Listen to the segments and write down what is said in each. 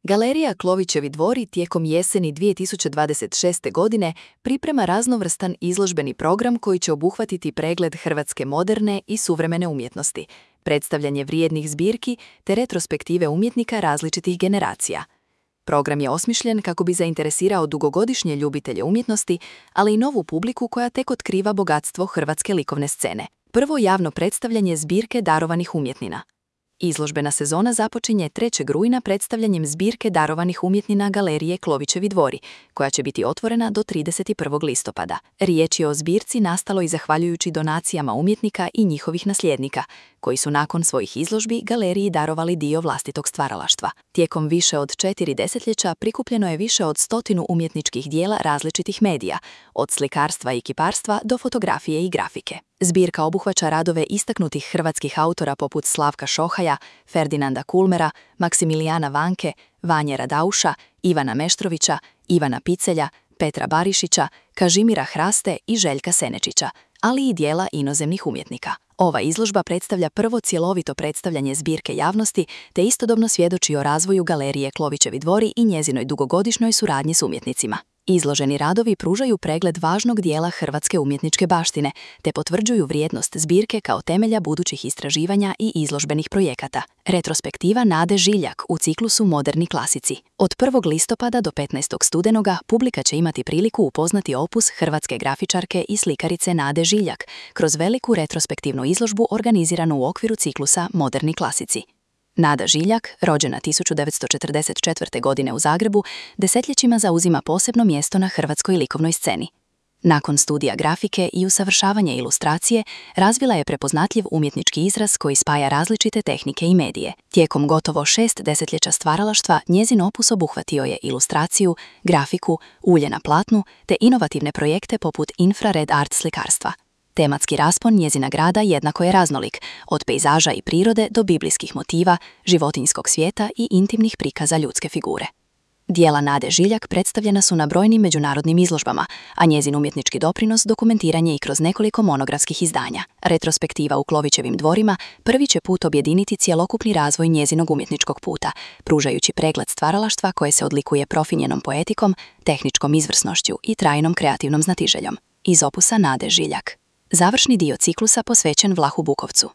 Galerija Klovićevi dvori tijekom jeseni 2026. godine priprema raznovrstan izložbeni program koji će obuhvatiti pregled hrvatske moderne i suvremene umjetnosti, predstavljanje vrijednih zbirki te retrospektive umjetnika različitih generacija. Program je osmišljen kako bi zainteresirao dugogodišnje ljubitelje umjetnosti, ali i novu publiku koja tek otkriva bogatstvo hrvatske likovne scene. Prvo javno predstavljanje zbirke darovanih umjetnina. Izložbena sezona započinje 3. rujna predstavljanjem zbirke darovanih umjetnina Galerije Klovićevi dvori, koja će biti otvorena do 31. listopada. Riječ je o zbirci nastaloj zahvaljujući donacijama umjetnika i njihovih nasljednika, koji su nakon svojih izložbi galeriji darovali dio vlastitog stvaralaštva. Tijekom više od 4 desetljeća prikupljeno je više od 100 umjetničkih dijela različitih medija, od slikarstva i kiparstva do fotografije i grafike. Zbirka obuhvaća radove istaknutih hrvatskih autora poput Slavka Šohaja, Ferdinanda Kulmera, Maksimilijana Vanke, Vanje Radauša, Ivana Meštrovića, Ivana Picelja, Petra Barišića, Kažimira Hraste i Željka Senečića, ali i dijela inozemnih umjetnika. Ova izložba predstavlja prvo cjelovito predstavljanje zbirke javnosti te istodobno svjedoči o razvoju Galerije Klovićevi dvori i njezinoj dugogodišnjoj suradnji s umjetnicima. Izloženi radovi pružaju pregled važnog dijela hrvatske umjetničke baštine te potvrđuju vrijednost zbirke kao temelja budućih istraživanja i izložbenih projekata. Retrospektiva Nade Žiljak u ciklusu Moderni klasici. Od 1. listopada do 15. studenoga publika će imati priliku upoznati opus hrvatske grafičarke i slikarice Nade Žiljak kroz veliku retrospektivnu izložbu organiziranu u okviru ciklusa Moderni klasici. Nada Žiljak, rođena 1944. godine u Zagrebu, desetljećima zauzima posebno mjesto na hrvatskoj likovnoj sceni. Nakon studija grafike i usavršavanja ilustracije, razvila je prepoznatljiv umjetnički izraz koji spaja različite tehnike i medije. Tijekom gotovo 6 desetljeća stvaralaštva, njezin opus obuhvatio je ilustraciju, grafiku, ulje na platnu te inovativne projekte poput infrared art slikarstva. Tematski raspon njezina grada jednako je raznolik, od pejzaža i prirode do biblijskih motiva, životinjskog svijeta i intimnih prikaza ljudske figure. Dijela Nade Žiljak predstavljena su na brojnim međunarodnim izložbama, a njezin umjetnički doprinos dokumentiran je i kroz nekoliko monografskih izdanja. Retrospektiva u Klovićevim dvorima prvi će put objediniti cjelokupni razvoj njezinog umjetničkog puta, pružajući pregled stvaralaštva koje se odlikuje profinjenom poetikom, tehničkom izvrsnošću i trajnom kreativnom znatiželjom. Iz opusa Nade Žiljak. Završni dio ciklusa posvećen Vlahu Bukovcu.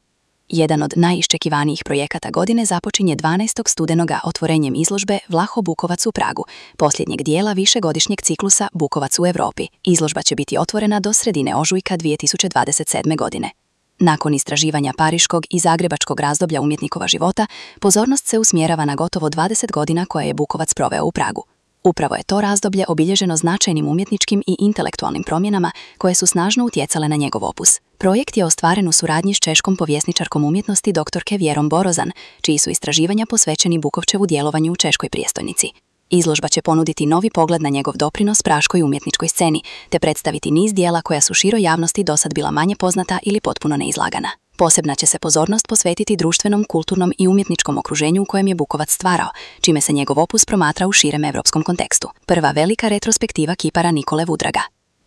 Jedan od najiščekivanijih projekata godine započinje 12. studenoga otvorenjem izložbe Vlaho Bukovac u Pragu, posljednjeg dijela višegodišnjeg ciklusa Bukovac u Europi. Izložba će biti otvorena do sredine ožujka 2027. godine. Nakon istraživanja pariškog i zagrebačkog razdoblja umjetnikova života, pozornost se usmjerava na gotovo 20 godina koje je Bukovac proveo u Pragu. Upravo je to razdoblje obilježeno značajnim umjetničkim i intelektualnim promjenama koje su snažno utjecale na njegov opus. Projekt je ostvaren u suradnji s češkom povjesničarkom umjetnosti doktorke Vjerom Borozan, čiji su istraživanja posvećeni Bukovčevu djelovanju u češkoj prijestolnici. Izložba će ponuditi novi pogled na njegov doprinos praškoj umjetničkoj sceni, te predstaviti niz dijela koja su široj javnosti dosad bila manje poznata ili potpuno neizlagana. Posebna će se pozornost posvetiti društvenom, kulturnom i umjetničkom okruženju u kojem je Bukovac stvarao, čime se njegov opus promatra u širem evropskom kontekstu. Prva velika retrospektiva kipara Nikole Vudraga.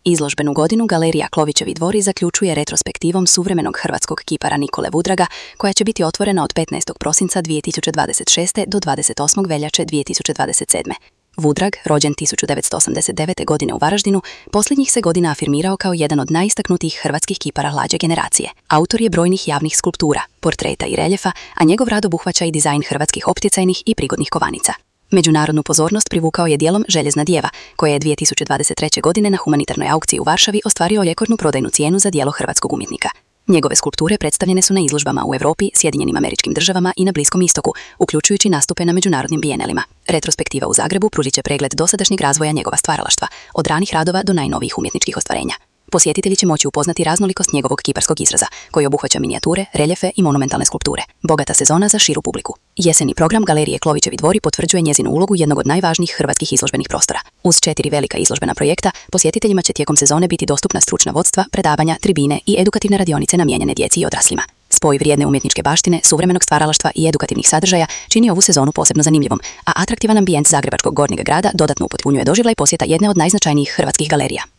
Izložbenu godinu Galerija Klovićevi dvori zaključuje retrospektivom suvremenog hrvatskog kipara Nikole Vudraga, koja će biti otvorena od 15. prosinca 2026. do 28. veljače 2027. Vudrag, rođen 1989. godine u Varaždinu, posljednjih se godina afirmirao kao jedan od najistaknutijih hrvatskih kipara mlađe generacije. Autor je brojnih javnih skulptura, portreta i reljefa, a njegov rad obuhvaća i dizajn hrvatskih opticajnih i prigodnih kovanica. Međunarodnu pozornost privukao je dijelom Željezna djeva, koja je 2023. godine na humanitarnoj aukciji u Varšavi ostvario rekordnu prodajnu cijenu za djelo hrvatskog umjetnika. Njegove skulpture predstavljene su na izložbama u Europi, Sjedinjenim Američkim Državama i na Bliskom istoku, uključujući nastupe na međunarodnim bijenelima. Retrospektiva u Zagrebu pružit će pregled dosadašnjeg razvoja njegova stvaralaštva, od ranih radova do najnovijih umjetničkih ostvarenja. Posjetitelji će moći upoznati raznolikost njegovog kiparskog izraza, koji obuhvaća minijature, reljefe i monumentalne skulpture. Bogata sezona za širu publiku. Jeseni program Galerije Klovićevi dvori potvrđuje njezinu ulogu jednog od najvažnijih hrvatskih izložbenih prostora. Uz 4 velika izložbena projekta, posjetiteljima će tijekom sezone biti dostupna stručna vodstva, predavanja, tribine i edukativne radionice namijenjene djeci i odraslima. Spoj vrijedne umjetničke baštine, suvremenog stvaralaštva i edukativnih sadržaja čini ovu sezonu posebno zanimljivom, a atraktivan ambijent zagrebačkog gornjeg grada dodatno upotpunjuje doživljaj posjeta jedne od najznačajnijih hrvatskih galerija.